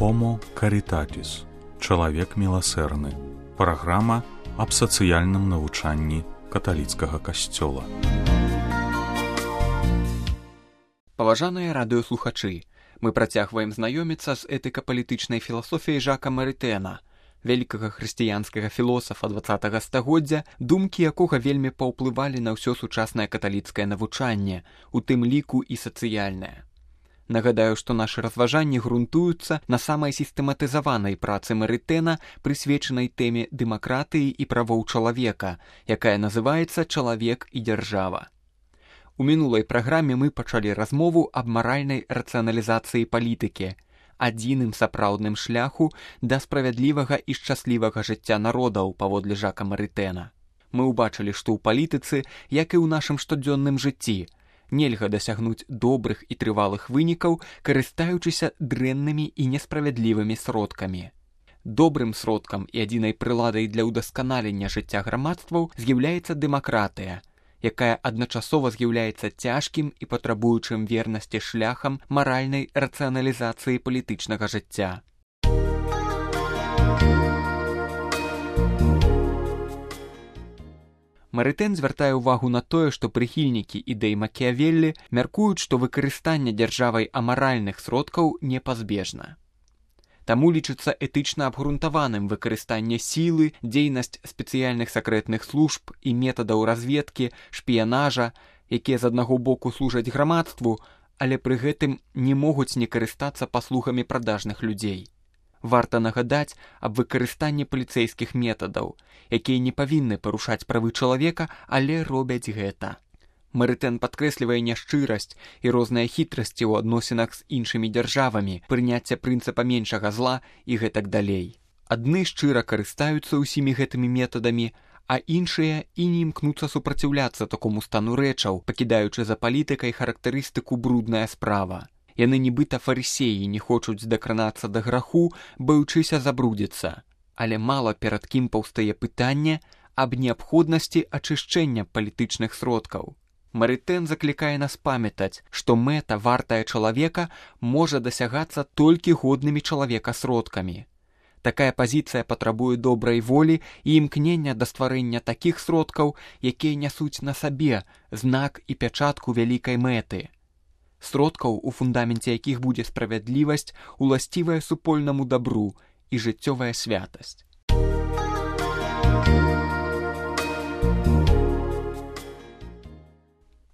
Homo Caritatis. Чалавек міласэрны. Праграма аб сацыяльным навучанні каталіцкага касцёла. Паважаныя радыёслухачы, мы працягваем знаёміцца з этыка-палітычнай філасофіяй Жака Марытэна, вялікага хрысціянскага філосафа 20-га стагоддзя, думкі якога вельмі паўплывалі на ўсё сучаснае каталіцкае навучанне, у тым ліку і сацыяльнае. Нагадаю, што нашы разважанні грунтуюцца на самай сістэматызаванай працы Марытэна, прысвечанай тэме дэмакратыі і правоў чалавека, якая называецца «Чалавек і дзяржава». У мінулай праграме мы пачалі размову аб маральнай рацыяналізацыі палітыкі, адзіным сапраўдным шляху да справядлівага і шчаслівага жыцця народаў паводле Жака Марытэна. Мы ўбачылі, што ў палітыцы, як і ў нашым штодзённым жыцці, нельга дасягнуць добрых і трывалых вынікаў, карыстаючыся дрэннымі і несправядлівымі сродкамі. Добрым сродкам і адзінай прыладай для ўдасканалення жыцця грамадстваў з'яўляецца дэмакратыя, якая адначасова з'яўляецца цяжкім і патрабуючым вернасці шляхам маральнай рацыяналізацыі палітычнага жыцця. Марытэн звяртае ўвагу на тое, што прыхільнікі ідэй Макіявеллі мяркуюць, што выкарыстанне дзяржавай амаральных сродкаў непазбежна. Таму лічыцца этычна абгрунтаваным выкарыстанне сілы, дзейнасць спецыяльных сакрэтных служб і метадаў разведкі, шпіянажа, якія з аднаго боку служаць грамадству, але пры гэтым не могуць не карыстацца паслугамі прадажных людзей. Варта нагадаць аб выкарыстанні паліцэйскіх метадаў, якія не павінны парушаць правы чалавека, але робяць гэта. Марытэн падкрэслівае няшчырасць і розныя хітрасці ў адносінах з іншымі дзяржавамі, прыняцце прынцыпа меншага зла і гэтак далей. Адны шчыра карыстаюцца ўсімі гэтымі метадамі, а іншыя і не імкнуцца супраціўляцца такому стану рэчаў, пакідаючы за палітыкай характарыстыку брудная справа. Яны нібыта фарысеі не хочуць дакранацца да граху, баючыся забрудзіцца. Але мала перад кім паўстае пытанне аб неабходнасці ачышчэння палітычных сродкаў. Марытэн заклікае нас памятаць, што мэта вартая чалавека можа дасягацца толькі годнымі чалавека сродкамі. Такая пазіцыя патрабуе добрай волі і імкнення да стварэння такіх сродкаў, якія нясуць на сабе знак і пячатку вялікай мэты. Сродкаў, у фундаменце якіх будзе справядлівасць, уласцівая супольнаму дабру і жыццёвая святасць.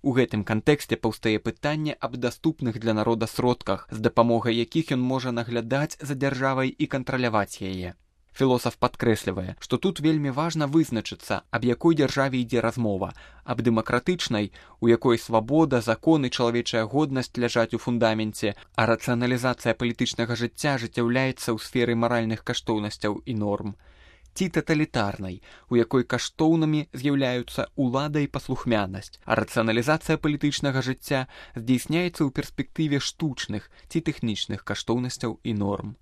У гэтым кантэксце паўстае пытанне аб даступных для народа сродках, з дапамогай якіх ён можа наглядаць за дзяржавай і кантраляваць яе. Філосаф падкрэслівае, што тут вельмі важна вызначыцца, аб якой дзяржаве ідзе размова, аб дэмакратычнай, у якой свабода, закон і чалавечая годнасць ляжаць у фундаменце, а рацыяналізацыя палітычнага жыцця ажыццяўляецца ў сферы маральных каштоўнасцяў і норм, ці таталітарнай, у якой каштоўнымі з'яўляюцца ўлада і паслухмянасць, а рацыяналізацыя палітычнага жыцця здзейсняецца ў перспектыве штучных ці тэхнічных каштоўнасцяў і норм.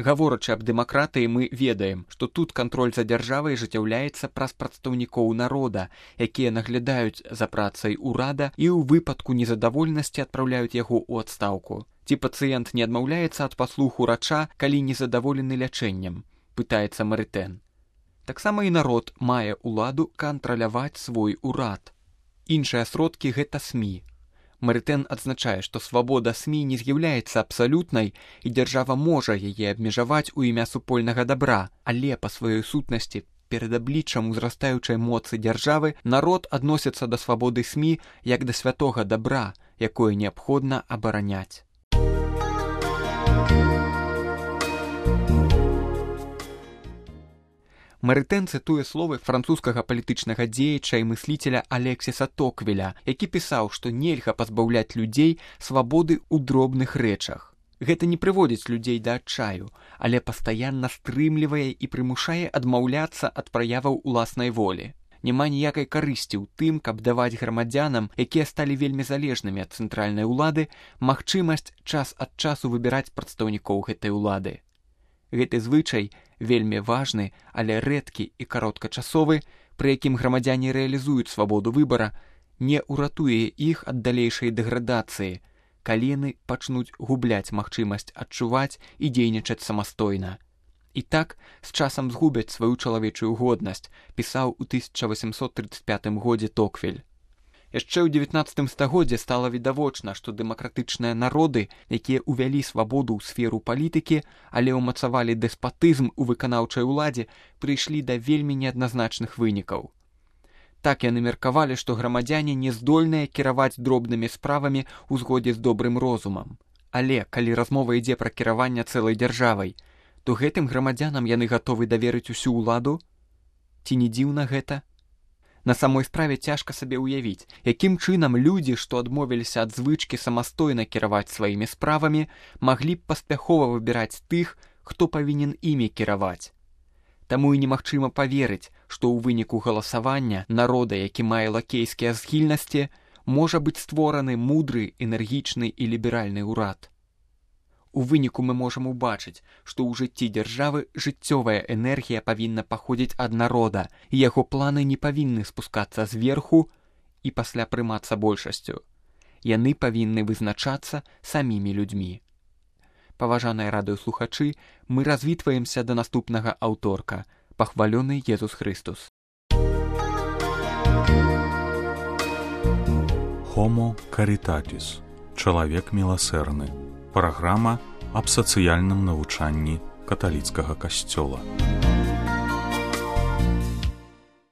Гаворачы аб дэмакратыі, мы ведаем, што тут кантроль за дзяржавай ажыццяўляецца праз прадстаўнікоў народа, якія наглядаюць за працай урада і ў выпадку незадавольнасці адпраўляюць яго ў адстаўку. Ці пацыент не адмаўляецца ад паслуг урача, калі незадаволены лячэннем, пытаецца Марытэн. Таксама і народ мае ўладу кантраляваць свой урад. Іншыя сродкі – гэта СМІ. Марытэн адзначае, што свабода СМІ не з'яўляецца абсалютнай і дзяржава можа яе абмежаваць у імя супольнага дабра, але па сваёй сутнасці перад абліччам узрастаючай моцы дзяржавы народ адносіцца да свабоды СМІ як да святога дабра, якое неабходна абараняць. Марытэн цытуе словы французскага палітычнага дзеяча і мысліцеля Алексіса Токвеля, які пісаў, што нельга пазбаўляць людзей свабоды ў дробных рэчах. Гэта не прыводзіць людзей да адчаю, але пастаянна стрымлівае і прымушае адмаўляцца ад праяваў уласнай волі. Няма ніякай карысці ў тым, каб даваць грамадзянам, якія сталі вельмі залежнымі ад цэнтральнай улады, магчымасць час ад часу выбіраць прадстаўнікоў гэтай улады. Гэты звычай вельмі важны, але рэдкі і кароткачасовы, пры якім грамадзяне рэалізуюць свабоду выбара, не ўратуе іх ад далейшай дэградацыі, калі яны пачнуць губляць магчымасць адчуваць і дзейнічаць самастойна. І так з часам згубяць сваю чалавечую годнасць, пісаў у 1835 годзе Токвель. Яшчэ ў 19 стагоддзе стала відавочна, што дэмакратычныя народы, якія ўвялі свабоду ў сферу палітыкі, але ўмацавалі дэспатызм у выканаўчай уладзе, прыйшлі да вельмі неадназначных вынікаў. Так яны меркавалі, што грамадзяне не здольныя кіраваць дробнымі справамі ў згодзе з добрым розумам. Але, калі размова ідзе пра кіраванне цэлай дзяржавай, то гэтым грамадзянам яны гатовы даверыць усю ўладу? Ці не дзіўна гэта? На самой справе цяжка сабе ўявіць, якім чынам людзі, што адмовіліся ад звычкі самастойна кіраваць сваімі справамі, маглі б паспяхова выбіраць тых, хто павінен імі кіраваць. Таму і немагчыма паверыць, што ў выніку галасавання народа, які мае лакейскія схільнасці, можа быць створаны мудры, энергічны і ліберальны ўрад. У выніку мы можам убачыць, што ў жыцці дзяржавы жыццёвая энергія павінна паходзіць ад народа, і яго планы не павінны спускацца зверху і пасля прымацца большасцю. Яны павінны вызначацца самімі людзьмі. Паважаныя радыёслухачы, мы развітваемся да наступнага аўторка. Пахвалёны Езус Христус. Homo Caritatis. Чалавек міласэрны. Праграма аб сацыяльным навучанні каталіцкага касцёла.